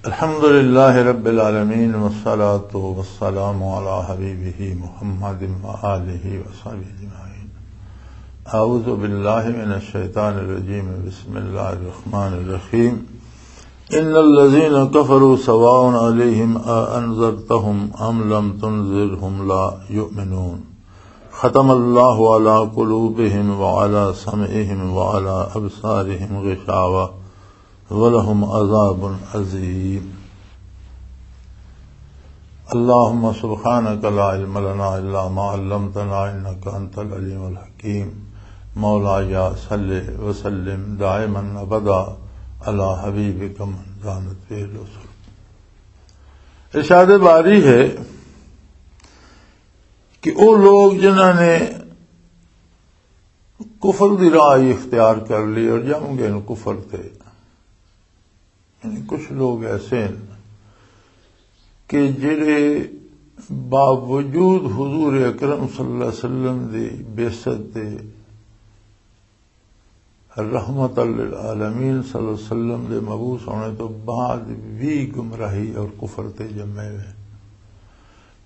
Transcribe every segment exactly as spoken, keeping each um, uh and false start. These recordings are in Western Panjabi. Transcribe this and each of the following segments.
الحمد لله رب العالمين، والصلاة والسلام على حبيبه محمد وآله وصحبه أجمعين. أعوذ بالله من الشيطان الرجيم. بسم الله الرحمن الرحيم. إن الذين كفروا سواء عليهم أأنذرتهم أم لم تنذرهم لا يؤمنون. ختم الله على قلوبهم وعلى سمعهم وعلى أبصارهم غشاوة ولهم عذاب عظيم. اللهم سبحانك لا علم لنا إلا ما علمتنا إنك أنت العليم الحكيم. مولاي صل وسلم دائما أبدا على حبيبك من زانت به الأسر. ارشاد باری ہے کہ وہ لوگ جنہاں نے کفر دی راہ ہی اختیار کر لی اور جم گئے نے کفر تے، یعنی کچھ لوگ ایسے ہیں کہ جڑے باوجود حضور اکرم صلی اللہ علیہ وسلم دی بعثت دے، رحمت للعالمین صلی اللہ علیہ وسلم دے مبعوث ہونے تو بعد بھی گمراہی اور کفر تے جمے ہوئے۔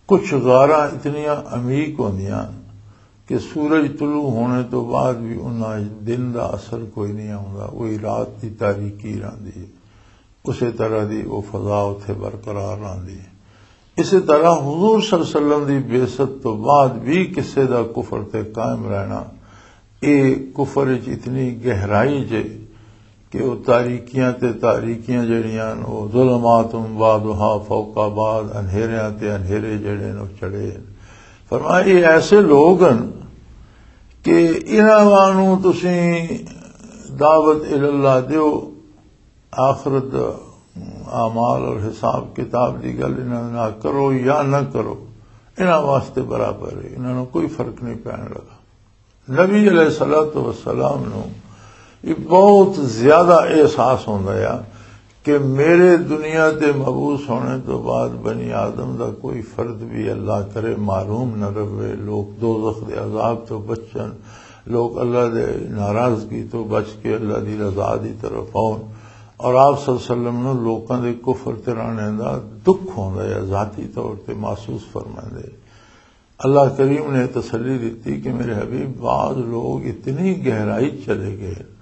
کچھ غاراں اتنیاں عمیق ہوندیاں کہ سورج طلوع ہونے تو بعد بھی انہاں وچ دن دا اثر کوئی نہیں آوندا، وہی رات دی تاریکی رہندی ہے، اسے طرح دی وہ فضا اتھے برقرار رہندی ہے۔ اسی طرح حضور صلی اللہ علیہ وسلم دی بعثت تو بعد بھی کسے دا کفر تے قائم رہنا، اے کفر وچ اتنی گہرائی جے کہ وہ تاریکیاں تے تاریکیاں جڑیاں نے، وہ ظلمات بعضها فوق بعض، انہیریاں تے انہیرے جڑے نے، وہ چڑھے نے۔ فرمایا، یہ ایسے لوگ ہیں کہ انہاں نوں تسیں دعوت الاللہ دیو، آخرت، اعمال اور حساب کتاب دی گل انہاں نال کرو یا نہ کرو، انہاں واسطے برابر ہے، انہاں نوں کوئی فرق نہیں پین لگا۔ نبی علیہ الصلوۃ والسلام نوں یہ بہت زیادہ احساس ہوندا ہے کہ میرے دنیا تے مبعوث ہونے تو بعد بنی آدم دا کوئی فرد بھی، اللہ کرے، محروم نہ رہے۔ لوگ دوزخ دے عذاب تو بچن، لوگ اللہ دے ناراضگی تو بچ کے اللہ دی رضا دی طرف آؤن۔ اور آپ صلی اللہ علیہ وسلم نوں لوکاں دے کفر تے رانے دا دکھ ہوندا ہے، ذاتی طور تے محسوس فرماندے۔ اللہ کریم نے تسلی دتی کہ میرے حبیب، بعض لوگ اتنی گہرائی چلے گئے،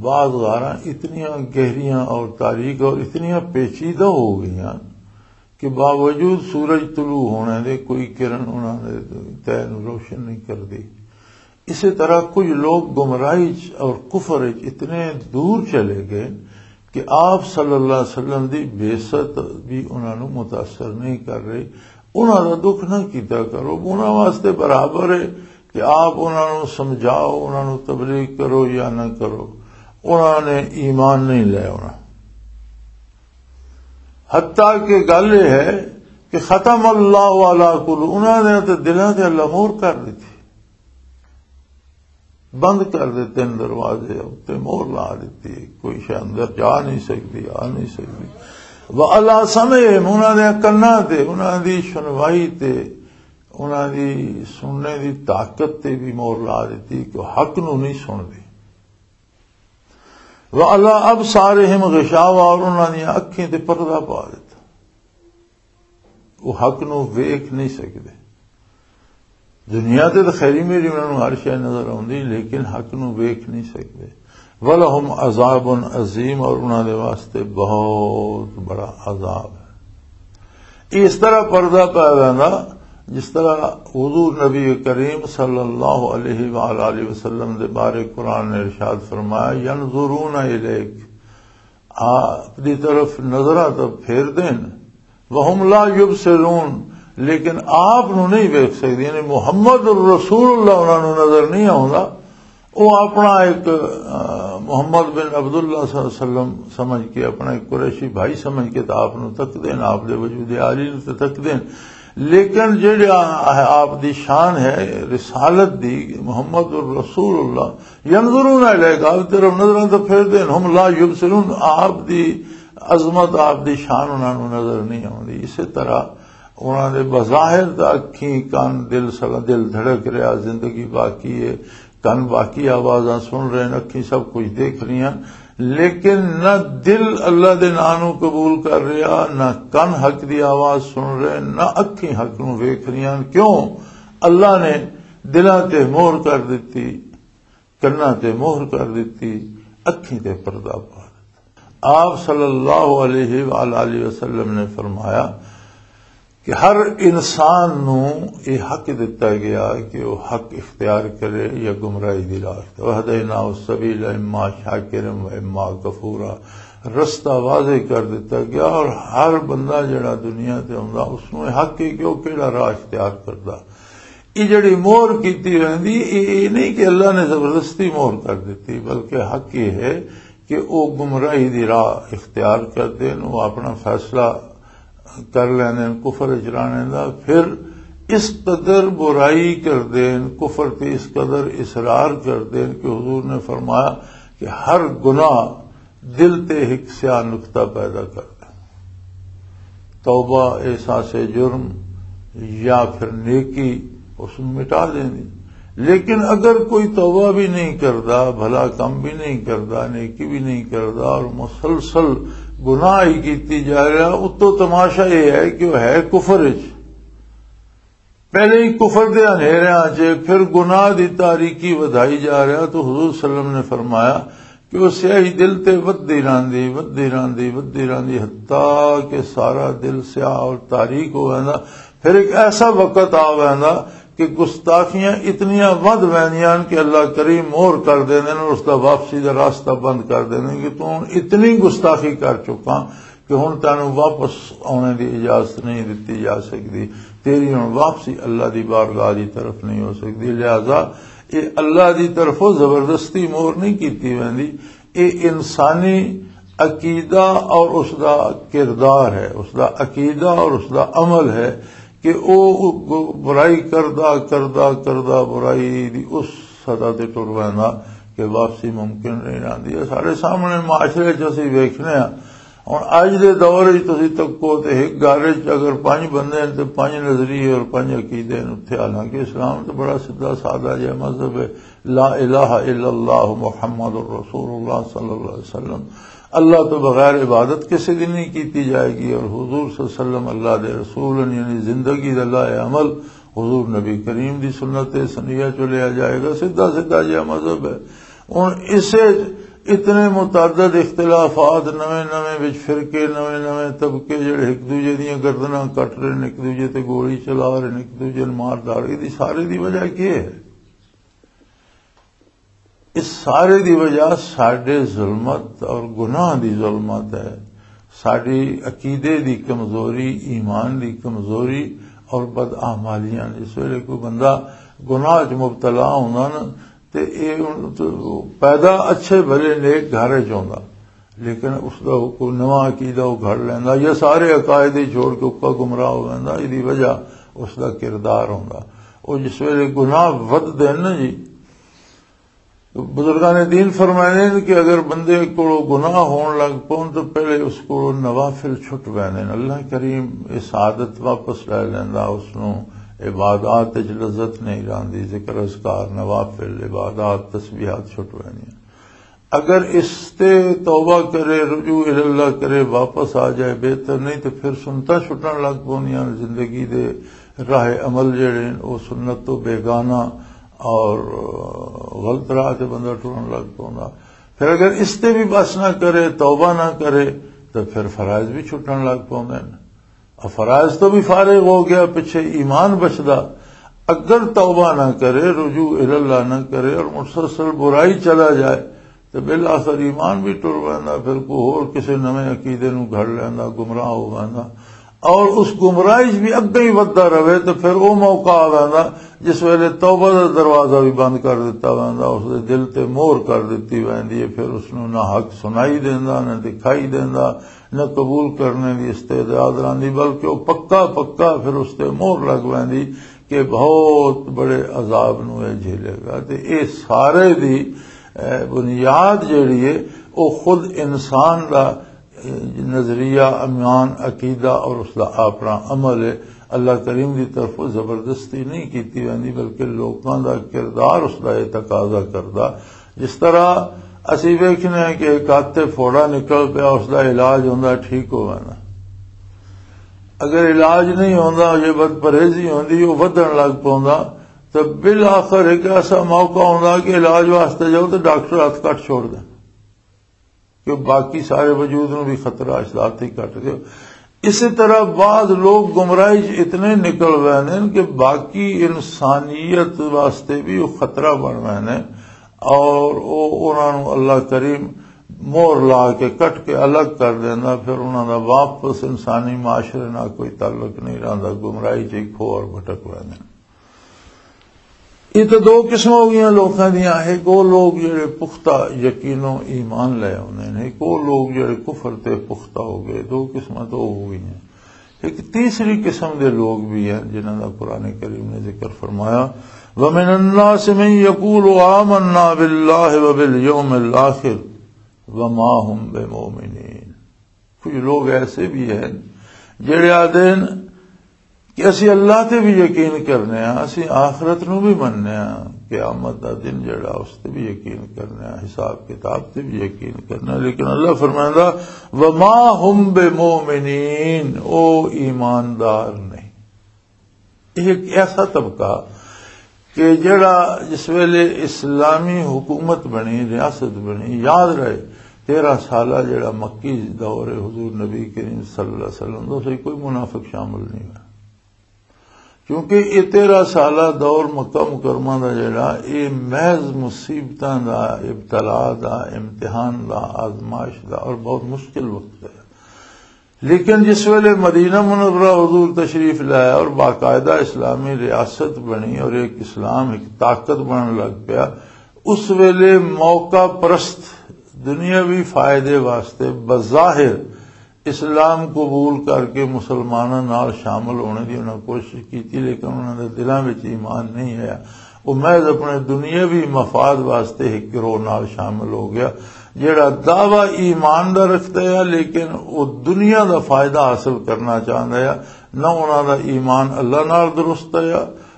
بعض غاراں اتنیاں گہریاں اور تاریک اور اتنیاں پیچیدہ ہو گئیاں کہ باوجود سورج طلوع ہونے دے کوئی کرن انہاں دے تہ نوں روشن نہیں کردی۔ اسی طرح کچھ لوگ گمراہی چ اور کفر چ اتنے دور چلے گئے کہ آپ صلی اللہ علیہ وسلم دی بعثت بھی انہاں نوں متاثر نہیں کر رہی۔ انہاں دا دکھ نہ کیتا کرو، انہاں واسطے برابر ہے کہ آپ انہاں نوں سمجھاؤ، انہاں نوں تبلیغ کرو یا نہ کرو، انہاں نے ایمان نہیں لے ہونا۔ حتیٰ کہ گل یہ ہے کہ ختم اللہ علی قلوب، انہاں نے تے دلاں تے اللہ مور کر دتی، بند کر دتے ہیں دروازے، تے مور لا دتی، کوئی شے اندر جا نہیں سکدی، آ نہیں سکدی۔ وعلی سمعہم، انہاں دے کناں تے، انہاں دی سنوائی تے، انہاں دی سننے دی طاقت تے بھی مور لا دتی کہ حق نو نہیں سن دے۔ وعلی ابصارہم غشاوہ، اور انہاں دی اکھیں تے پردہ پا دتا۔ وہ حق نو ویکھ نہیں سکدے۔ دنیا تے تو خیری میری انہاں نوں ہر شے نظر آوندی، لیکن حق نو ویکھ نہیں سکدے۔ ولہم عذاب عظیم، اور انہاں دے واسطے بہت بڑا عذاب ہے۔ یہ اس طرح پردہ پایا ویندا، جس طرح حضور نبی کریم صلی اللہ علیہ وآلہ وسلم دے بارے قرآن نے ارشاد فرمایا، ینظرون الیک، آپ دی طرف نظراں تو پھیر دین، وہم لا یبصرون، لیکن آپ نو نہیں ویکھ سکدے، یعنی محمد الرسول اللہ انہاں نوں نظر نہیں آوندا۔ وہ اپنا ایک، آ، محمد بن عبداللہ صلی اللہ علیہ وسلم سمجھ کے، اپنا ایک قریشی بھائی سمجھ کے تو آپ نو تک دین، آپ دے وجود عالی نو تے تک دین۔ لیکن جڑا آپ دی شان ہے رسالت دی، محمد الرسول اللہ، ینظرون الیک، آپ طرف نظراں تو پھیر دین، ہم لا یبصرون، آپ دی عظمت، آپ دی شان انہاں نوں نظر نہیں آوندی۔ اسی طرح انہاں دے بظاہر تاں اکھیں، کان، دل سلا، دل دھڑک رہیا، زندگی باقی ہے، کان باقی آوازاں سن رہے ہیں، اکھیں سب کچھ دیکھ رہی ہیں، لیکن نہ دل اللہ دے ناں نوں قبول کر رہا، نہ کن حق دی آواز سن رہے، نہ اکھیں حق نوں ویکھ رہیاں۔ کیوں؟ اللہ نے دلاں تے مہر کر دتی، کناں تے مہر کر دتی، اکھیں تے پردہ پا دتا۔ آپ صلی اللہ علیہ وآلہ وسلم نے فرمایا کہ ہر انسان نوں یہ حق دتا گیا کہ وہ حق اختیار کرے یا گمراہی دی راہ اختیار۔ وَهَدَيْنَاهُ السَّبِيلَ إِمَّا شَاكِرًا وَإِمَّا كَفُورًا۔ رستہ واضح کر دتا گیا، اور ہر بندہ جڑا دنیا تے آندا، اس نوں یہ حق ہے کہ وہ کیڑا راہ اختیار کردا۔ یہ جڑی مہر کیتی ویندی، یہ، یہ نہیں کہ اللہ نے زبردستی مہر کر دتی، بلکہ حق یہ ہے کہ وہ گمراہی دی راہ اختیار کر دین، وہ اپنا فیصلہ کر لیندے نے کفر وچ رہنے دا۔ پھر اس قدر برائی کر دین، کفر تے اس قدر اصرار کر دین کہ حضور نے فرمایا کہ ہر گناہ دل تے ایک سیاہ نقطہ پیدا کر دے۔ توبہ، احساس جرم یا پھر نیکی اس نوں مٹا دیندی۔ لیکن اگر کوئی توبہ بھی نہیں کردا، بھلا کم بھی نہیں کردا، نیکی بھی نہیں کردا اور مسلسل گناہ ہی کیتی جا رہا، اتوں تماشا یہ ہے کہ وہ ہے کفر وچ۔ پہلے ہی کفر دے اندھیریاں چ، پھر گناہ دی تاریکی ودھائی جا رہا۔ تو حضور صلی اللہ علیہ وسلم نے فرمایا کہ وہ سیاہی دل تے ودی راندی، ودی راندی، ودی راندی، حتیٰ کہ سارا دل سیاہ اور تاریک ہو ویندا۔ پھر ایک ایسا وقت آ ویندا کہ گستاخیاں اتنیاں ودھ ویندیاں کہ اللہ کریم مور کر دیندے نے، اس دا واپسی دا راستہ بند کر دیندے کہ تو ہن اتنی گستاخی کر چکا کہ ہن تینوں واپس آنے دی اجازت نہیں دتی جا سکدی، تیری ہن واپسی اللہ دی بارگاہ دی طرف نہیں ہو سکدی۔ لہذا یہ اللہ دی طرفوں زبردستی مور نہیں کیتی ویندی، یہ انسانی عقیدہ اور اس دا کردار ہے، اس دا عقیدہ اور اس دا عمل ہے کہ او برائی کردا، کردا، کردا، برائی دی اس سطح تے ٹر ویندا کہ واپسی ممکن نہیں رہندی۔ یہ سارے سامنے معاشرے چ اسی ویکھنے ہاں۔ ہن اج دے دور وچ تسی تکو تے ایک گھر وچ اگر پنج بندے ہیں تے پنج نظریے اور پنج عقیدے ہیں اتھے، حالانکہ اسلام تے بڑا سیدھا سادہ جہا مذہب ہے، لا الہ الا اللہ محمد رسول اللہ صلی اللہ علیہ وسلم، اللہ تو بغیر عبادت کسی دی نہیں کیتی جائے گی، اور حضور صلی اللہ علیہ وسلم اللہ دے رسول ہیں، یعنی زندگی دا لائحہ عمل حضور نبی کریم دی سنت سنیہ چ لیا جائے گا۔ سیدھا سیدھا جہا مذہب ہے۔ ہن اسے اتنے متعدد اختلافات، نویں نویں وچ فرقے، نویں نویں طبقے جڑے ایک دوجے دیاں گردناں کٹ رہے ہیں، ایک دوجے تے گولی چلا رہے ہیں، ایک دوجے نوں مار داڑ، دی سارے دی وجہ کی ہے؟ اس سارے دی وجہ ساڈے ظلمت اور گناہ دی ظلمت ہے، ساڈی عقیدے دی کمزوری، ایمان دی کمزوری اور بداعمالیاں۔ جس ویلے کوئی بندہ گناہ وچ مبتلا ہوندا نا، تے اے ہن تے پیدا اچھے بھلے نیک گھر وچ ہوندا، لیکن اس دا کوئی نواں عقیدہ وہ گھڑ لیندا یا سارے عقائد ہی چھوڑ کے اکا گمراہ ہو ویندا۔ ایدی وجہ اس دا کردار ہوندا۔ وہ جس ویلے گناہ ودھدے نا جی، بزرگان دین فرمائے نے کہ اگر بندے کو گناہ ہون لگ پون تو پہلے اس کو نوافل چھٹ ویندے نے۔ اللہ کریم اس عادت واپس لے لیندا، اس نو عبادات وچ لذت نہیں رہندی، ذکر اذکار، نوافل، عبادات، تسبیحات چھٹ ویندیاں۔ اگر اس تے توبہ کرے، رجوع الی اللہ کرے، واپس آ جائے، بہتر، نہیں تو پھر سنتا چھٹن لگ پوندیاں۔ زندگی دے راہ عمل جڑے ہیں، وہ سنت تو بیگانہ اور غلط راہ تے بندہ ٹرن لگ پوندا۔ پھر اگر اس تے بھی بس نہ کرے، توبہ نہ کرے، تو پھر فرائض بھی چھٹن لگ پوندے ہیں۔ اب فرائض تو بھی فارغ ہو گیا، پچھے ایمان بچدا۔ اگر توبہ نہ کرے، رجوع الی اللہ نہ کرے اور مسلسل برائی چلا جائے، تو بالآخر ایمان بھی ٹر ویندا، پھر کوئی ہور کسے نویں عقیدے نو گھڑ لیندا، گمراہ ہو ویندا۔ اور اس گمراہی وچ بھی اگے ہی وددا رہے تو پھر او موقع آ ویندا جس ویلے توبہ دا دروازہ بھی بند کر دتا ویندا، اس دے دل تے مہر کر دتی ویندی ہے، پھر اس نو نہ حق سنائی دیندا، نہ دکھائی دیندا، نہ قبول کرنے دی استعداد رہندی، بلکہ وہ پکا پکا پھر اس تے مہر لگ ویندی کہ بہت بڑے عذاب نو یہ جھیلے گا۔ تے اے سارے دی، اے، بنیاد جیڑی ہے، وہ خود انسان دا، اے، نظریہ، ایمان، عقیدہ اور اس دا اپنا عمل ہے۔ اللہ کریم دی طرفوں زبردستی نہیں کیتی ویندی، بلکہ لوکاں دا کردار اس دا یہ تقاضا کردا۔ جس طرح اسی ویکھنے ہیں کہ ایک ہاتھ تے فوڑا نکل پیا، اس دا علاج ہوندا، ٹھیک ہو ویندا۔ اگر علاج نہیں ہوندا، یہ بد پرہیزی ہوندی، وہ ودھن لگ پوندا، تو بالآخر ایک ایسا موقع ہوندا کہ علاج واسطے جاؤ تو ڈاکٹر ہاتھ کٹ چھوڑ دے، کہ باقی سارے وجود نوں بھی خطرہ اس دا ہاتھ ہی کٹ دے۔ اسی طرح بعض لوگ گمراہی چ اتنے نکل ویندے نے کہ باقی انسانیت واسطے بھی وہ خطرہ بن ویندے نے، اور وہ انہاں نوں اللہ کریم مور لا کے کٹ کے الگ کر دیندا، پھر انہاں دا واپس انسانی معاشرے نال کوئی تعلق نہیں رہندا، گمراہی چ ہی کھو اور بھٹک ویندے نے۔ یہ تو دو قسم ہو گئیاں لوکاں دیاں۔ ایک وہ لوگ جڑے پختہ یقین و ایمان لے آنے ہیں، ایک وہ لوگ جڑے کفر تے پختہ ہو گئے۔ دو قسماں تو ہو گئی ہیں۔ ایک تیسری قسم دے لوگ بھی ہیں جنہاں دا قرآن کریم نے ذکر فرمایا، وَمِنَ النَّاسِ مَن يَقُولُ آمَنَّا بِاللَّهِ وَبِالْيَوْمِ الْآخِرِ وَمَا هُم بِمُؤْمِنِينَ۔ کچھ لوگ ایسے بھی ہیں جڑے آدھے ہیں کہ اسی اللہ تے بھی یقین کرنے ہاں، اسی آخرت نو بھی مننے ہاں، قیامت دا دن جڑا، اس تے بھی یقین کرنے ہاں، حساب کتاب تے بھی یقین کرنے ہاں، لیکن اللہ فرمائندا، وما هم بمؤمنین، او ایماندار نہیں۔ یہ ایک ایسا طبقہ کہ جڑا جس ویلے اسلامی حکومت بنی، ریاست بنی، یاد رہے، تیرہ سالہ جڑا مکی دور ہے حضور نبی کریم صلی اللہ علیہ وسلم دا، اس وچ کوئی منافق شامل نہیں ہوا، کیونکہ یہ تیرہ سالہ دور مکہ مکرمہ دا جڑا، یہ محض مصیبتاں دا، ابتلا دا، امتحان دا، آزمائش دا اور بہت مشکل وقت ہے۔ لیکن جس ویلے مدینہ منورہ حضور تشریف لایا اور باقاعدہ اسلامی ریاست بنی اور ایک اسلام ایک طاقت بنن لگ پیا، اس ویلے موقع پرست دنیاوی فائدے واسطے بظاہر اسلام قبول کر کے مسلماناں نال شامل ہونے دی انہاں کوشش کیتی، لیکن انہاں دے دلاں وچ ایمان نہیں آیا۔ وہ محض اپنے دنیاوی مفاد واسطے ایک گروہ نال شامل ہو گیا، جڑا دعویٰ ایمان دا رکھدا ہے، لیکن وہ دنیا دا فائدہ حاصل کرنا چاہندا ہے۔ نہ انہاں دا ایمان اللہ نال درست ہے،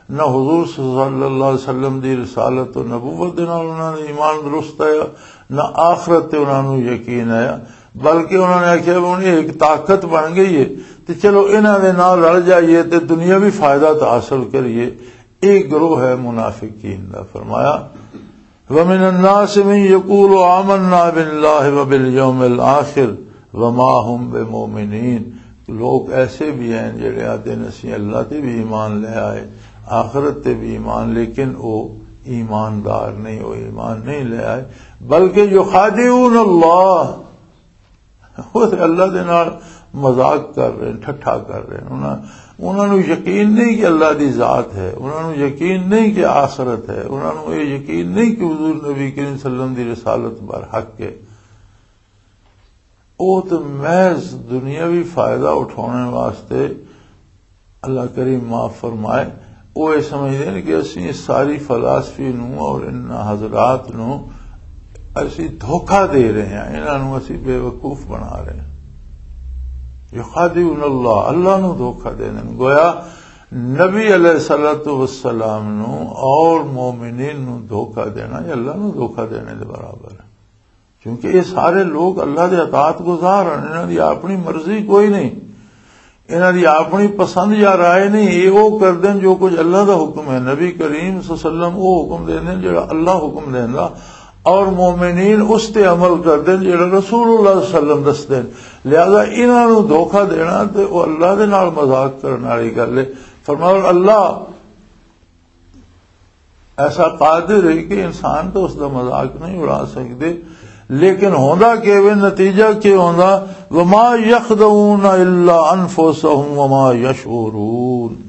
نہ حضور صلی اللہ علیہ وسلم دی رسالت و نبوت دے نال انہاں دا ایمان درست ہے، نہ آخرت تے انہاں نوں یقین ہے، بلکہ انہاں نے آکھیا، "ہن یہ ایک طاقت بن گئی ہے، تے چلو انہاں دے نال رل جائیے تے دنیاوی فائدہ تے حاصل کریے۔" ایک گروہ ہے منافقین دا۔ فرمایا، وَمِنَ النَّاسِ مَن يَقُولُ آمَنَّا بِاللَّهِ وَبِالْيَوْمِ الْآخِرِ وَمَا هُم بِمُؤْمِنِينَ۔ لوگ ایسے بھی ہیں جڑے آتے ہیں، "اسی اللہ تے بھی ایمان لے آئے، آخرت تے بھی ایمان"، لیکن وہ ایماندار نہیں، وہ ایمان نہیں لے آئے، بلکہ یخادعون اللہ، وہ تے اللہ دے نال مذاق کر رہے ہیں، ٹھٹھا کر رہے ہیں۔ انہاں، انہاں نوں یقین نہیں کہ اللہ دی ذات ہے، انہاں نوں یقین نہیں کہ آخرت ہے، انہاں نوں یہ یقین نہیں کہ حضور نبی کریم صلی اللہ علیہ وسلم دی رسالت بر حق ہے۔ وہ تو محض دنیاوی فائدہ اٹھانے واسطے، اللہ کریم معاف فرمائے، وہ یہ سمجھتے ہیں کہ اسی اس ساری فلاسفی نو اور ان حضرات نو اسی دھوکہ دے رہے ہیں، انہاں نو اسی بے وقوف بنا رہے ہیں۔ یخادعون اللہ، اللہ نو دھوکہ دے رہے ہیں۔ گویا نبی علیہ الصلوۃ والسلام نو اور مومنین نو دھوکہ دینا، یہ اللہ نو دھوکہ دینے دے برابر ہے۔ کیونکہ یہ سارے لوگ اللہ دے اطاعت گزار ہیں، انہاں دی اپنی مرضی کوئی نہیں، انہاں دی اپنی پسند یا رائے نہیں۔ یہ وہ کر دین جو کچھ اللہ دا حکم ہے، نبی کریم صلی اللہ علیہ وسلم وہ حکم دین دین جڑا اللہ حکم دیندا، اور مومنین اس تے عمل کر دین جڑا رسول اللہ صلی اللہ علیہ وسلم دس دین۔ لہذا انہاں نوں دھوکہ دینا تے وہ اللہ دے نال مذاق کرن والی گل ہے۔ فرمایا، اللہ ایسا قادر ہے کہ انسان تو اس دا مذاق نہیں اڑا سکدے۔ لیکن ہوندا کہ وے، نتیجہ کہ ہوندا، وما یخدعون الا انفسهم وما یشعرون۔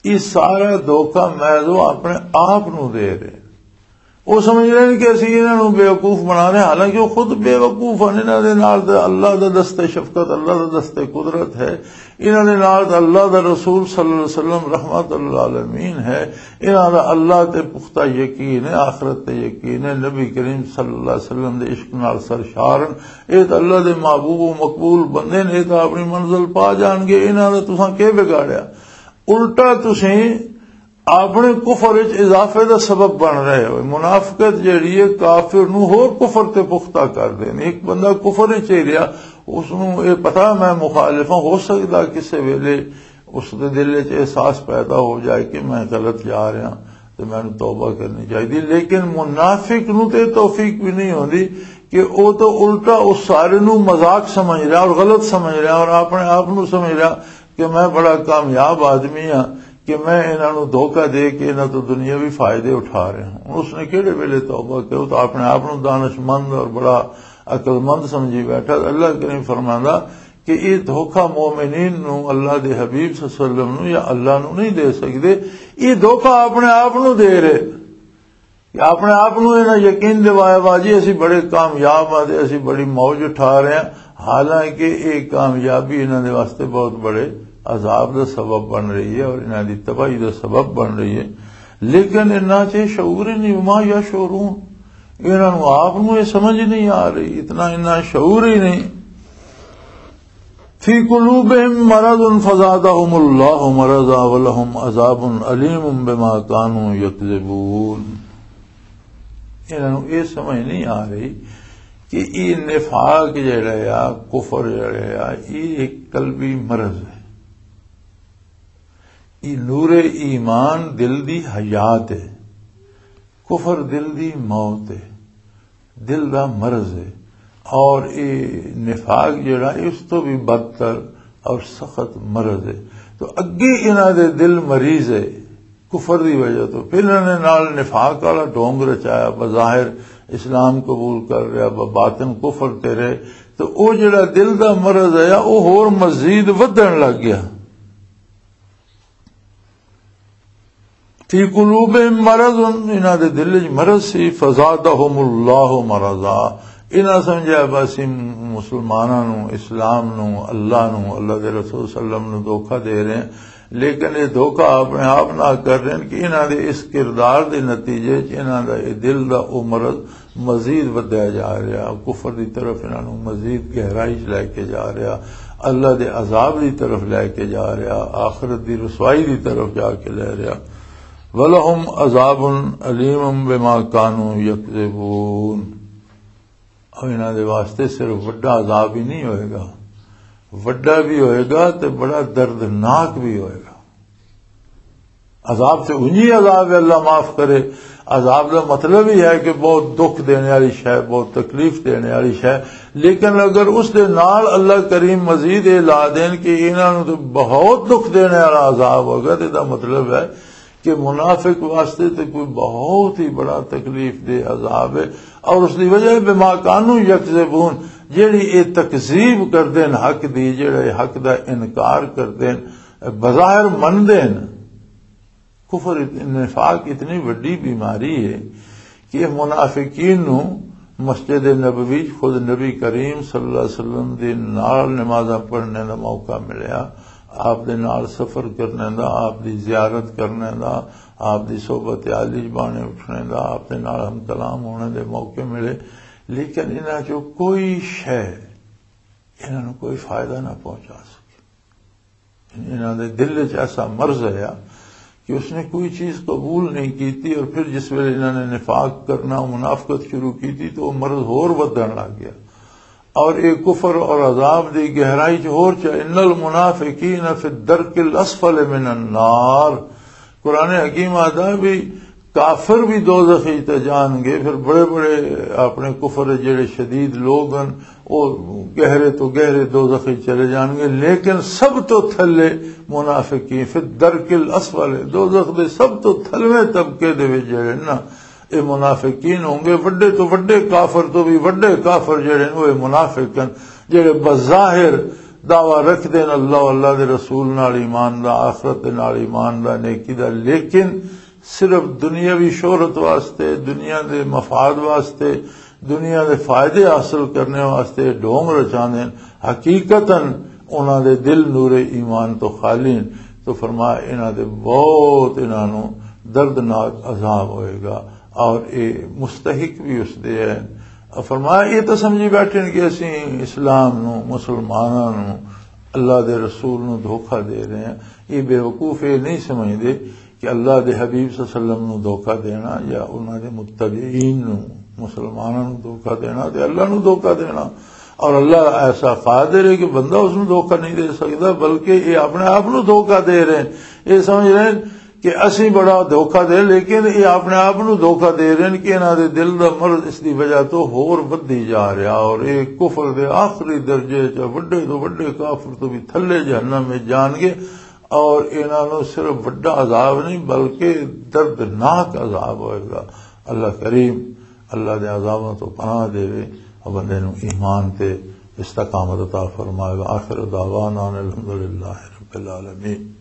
یہ سارا دھوکہ محض وہ اپنے آپ نو دے رہے۔ وہ سمجھ رہے ہیں کہ اسی انہاں نوں بیوقوف بنا رہے ہیں، حالانکہ وہ خود بیوقوف ہیں۔ انہاں دے نال تے اللہ دا دست شفقت، اللہ دا دست قدرت ہے۔ انہاں دے نال تے اللہ دا رسول صلی اللہ علیہ وسلم رحمت للعالمین ہے۔ انہاں دا اللہ تے پختہ یقین ہے، آخرت تے یقین ہے، نبی کریم صلی اللہ علیہ وسلم دے عشق نال سرشار ہیں۔ اے تے اللہ دے محبوب و مقبول بندے نے، اے تے اپنی منزل پا جان گے۔ انہاں دا تساں کی بگاڑیا؟ الٹا تسیں اپنے کفر وچ اضافے دا سبب بن رہے ہوئے۔ منافقت جیڑی ہے، کافر نو ہور کفر تے پختہ کر دینی۔ ایک بندہ کفر وچ ہی رہیا، اس نو یہ پتا میں مخالف ہاں، ہو سکدا کسے ویلے اس دے دل وچ احساس پیدا ہو جائے کہ میں غلط جا رہا تے مینوں توبہ کرنی چاہیے۔ لیکن منافق نو تے توفیق بھی نہیں ہوندی کہ او تو الٹا اس سارے نو مذاق سمجھ رہا اور غلط سمجھ رہا اور اپنے آپ نو سمجھ رہا کہ میں بڑا کامیاب آدمی ہاں کہ میں انہاں نو دھوکہ دے کے انہاں تو دنیاوی فائدے اٹھا رہا ہوں۔ اس نے کہڑے ویلے توبہ کرو؟ تو اپنے آپ نو دانش مند اور بڑا عقل مند سمجھی بیٹھا۔ اللہ کریم فرماندا کہ یہ دھوکہ مومنین نو، اللہ دے حبیب صلی اللہ علیہ وسلم نو یا اللہ نو نہیں دے سکدے، یہ دھوکہ اپنے آپ نو دے رہے۔ کہ اپنے آپ نو انہاں یقین دوایا وا جی اسی بڑے کامیاب ہاں تے اسی بڑی موج اٹھا رہے ہیں، حالانکہ یہ کامیابی انہاں دے واسطے بہت بڑے عذاب دا سبب بن رہی ہے اور انہاں دی تباہی دا سبب بن رہی ہے۔ لیکن انہاں چ شعور ہی نہیں، وما یشعرون، انہاں نو آپ نو یہ سمجھ نہیں آ رہی، اتنا انہاں شعور ہی نہیں۔ فی قلوبہم مرض فزادہم اللہ مرضا ولہم عذاب علیم بما کانوا یکذبون۔ انہاں نوں یہ سمجھ نہیں آ رہی کہ یہ نفاق جڑا آ، کفر جڑا آ، یہ ایک قلبی مرض ہے۔ یہ نور ایمان دل دی حیات ہے، کفر دل دی موت ہے، دل دا مرض ہے۔ اور یہ نفاق جڑا ہے، اس تو بھی بدتر اور سخت مرض ہے۔ تو اگے انہاں دے دل مریض ہے کفر دی وجہ تو، پھر انہاں نے نال نفاق والا ڈھونگ رچایا، بظاہر اسلام قبول کر رہا، ب-، باطن کفر تے رہے۔ تو او جڑا دل دا مرض ہے، او ہور مزید ودھن لگ گیا۔ فی قلوبہم مرض، انہاں دے دل وچ مرض سی، فزادہم اللہ مرضا، انہاں سمجھیا بس ہی مسلماناں نو، اسلام نو، اللہ نو، اللہ دے رسول صلی اللہ علیہ وسلم نو دھوکا دے رہے ہیں۔ لیکن یہ دھوکا اپنے آپ نہ کر رہے ہیں کہ انہاں دے اس کردار دے نتیجے چ انہاں دا یہ دل دا او مرض مزید ودھیا جا رہا، کفر دی طرف انہاں نوں مزید گہرائی چ لے کے جا رہا، اللہ دے عذاب دی طرف لے کے جا رہا، آخرت دی رسوائی دی طرف جا کے لے رہا۔ وَلَهُمْ عَذَابٌ أَلِيمٌ بِمَا كَانُوا يَكْذِبُونَ۔ اور انہاں دے واسطے صرف وڈا عذاب ہی نہیں ہوئے گا، وڈا بھی ہوئے گا تے بڑا دردناک بھی ہوئے گا۔ عذاب تے انہی عذاب ہے، اللہ معاف کرے۔ عذاب دا مطلب ہی ہے کہ بہت دکھ دینے والی شے، بہت تکلیف دینے والی شے، لیکن اگر اس دے نال اللہ کریم مزید یہ لا دین کہ انہاں نوں تے بہت دکھ دینے والا عذاب ہوگا، تے دا مطلب ہے کہ منافق واسطے تے کوئی بہت ہی بڑا تکلیف دہ عذاب ہے۔ اور اس دی وجہ ہے بما کانوا یکذبون، جیڑی یہ تکذیب کردے نے حق دی، جیڑا یہ حق دا انکار کردے نے، بظاہر مندے نے۔ کفر ات-، نفاق اتنی وڈی بیماری ہے کہ یہ منافقین نو مسجد نبوی خود نبی کریم صلی اللہ علیہ وسلم دے نال نمازاں پڑھنے دا موقع ملیا، آپ دے نال سفر کرنے دا، آپ دی زیارت کرنے دا، آپ دی صحبت عالی بانے اٹھنے دا، آپ دے نال ہم کلام ہونے دے موقع ملے، لیکن انہاں چوں کوئی شے انہاں نوں کوئی فائدہ نہ پہنچا سکے۔ انہاں دے دل وچ ایسا مرض آیا کہ اس نے کوئی چیز قبول نہیں کیتی، اور پھر جس ویلے انہاں نے نفاق کرنا، منافقت شروع کیتی، تو وہ مرض ہور ودھن لگ گیا۔ اور یہ کفر اور عذاب دی گہرائی چ ہور چا، ان المنافقین فی الدرک الاسفل من النار۔ قرآن حکیم آتا بھی کافر بھی دوزخ وچ تے جان گے، پھر بڑے بڑے اپنے کفر دے جڑے شدید لوگ ہن، او گہرے تو گہرے دوزخ وچ چلے جان گے، لیکن سب تو تھلے منافقین، فی الدرک الاسفل، دوزخ دے سب تو تھلویں طبقے دے وچ جڑے نا، اے منافقین ہوں گے۔ وڈے تو وڈے کافر تو بھی وڈے کافر جڑے نے، او اے منافق ہن، جڑے بظاہر دعویٰ رکھدے نے اللہ، اللہ دے رسول نال ایمان دا، آخرت دے نال ایمان دا، نیکی دا، لیکن صرف دنیاوی شہرت واسطے، دنیا دے مفاد واسطے، دنیا دے فائدے حاصل کرنے واسطے ڈھونگ رچاندے نے۔ حقیقتاً انہاں دے دل نور ایمان تو خالی ہیں۔ تو فرمایا، انہاں دے بہت، انہاں نوں دردناک عذاب ہوئے گا، اور اے مستحق بھی اس دے ہیں۔ اور فرمایا، یہ تو سمجھی بیٹھے ہیں کہ اسی اسلام نوں، مسلماناں نوں، اللہ دے رسول نوں دھوکہ دے رہے ہیں۔ یہ بیوقوف یہ نہیں سمجھدے کہ اللہ دے حبیب صلی اللہ علیہ وسلم نو دھوکا دینا یا انہاں دے متبعین نو، مسلماناں نو دھوکا دینا تے اللہ نو دھوکا دینا۔ اور اللہ ایسا قادر ہے کہ بندہ اس نو دھوکا نہیں دے سکدا، بلکہ یہ اپنے آپ نو دھوکا دے رہے ہیں۔ یہ سمجھ رہے ہیں کہ اسی بڑا دھوکا دے، لیکن یہ اپنے آپ نو دھوکا دے رہے ہیں کہ انہاں دے دل دا مرض اس دی وجہ تو ہور ودھی جا رہا، اور یہ کفر دے آخری درجے چ، وڈے تو وڈے کافر تو بھی تھلے جہنم میں جان گے۔ اور انہاں نوں صرف وڈا عذاب نہیں، بلکہ دردناک عذاب ہوئے گا۔ اللہ کریم اللہ دے عذاباں تو پناہ دے، اور بندے نوں ایمان تے استقامت عطا فرمائے گا۔ آخر دعوانا ان الحمدللہ رب العالمین۔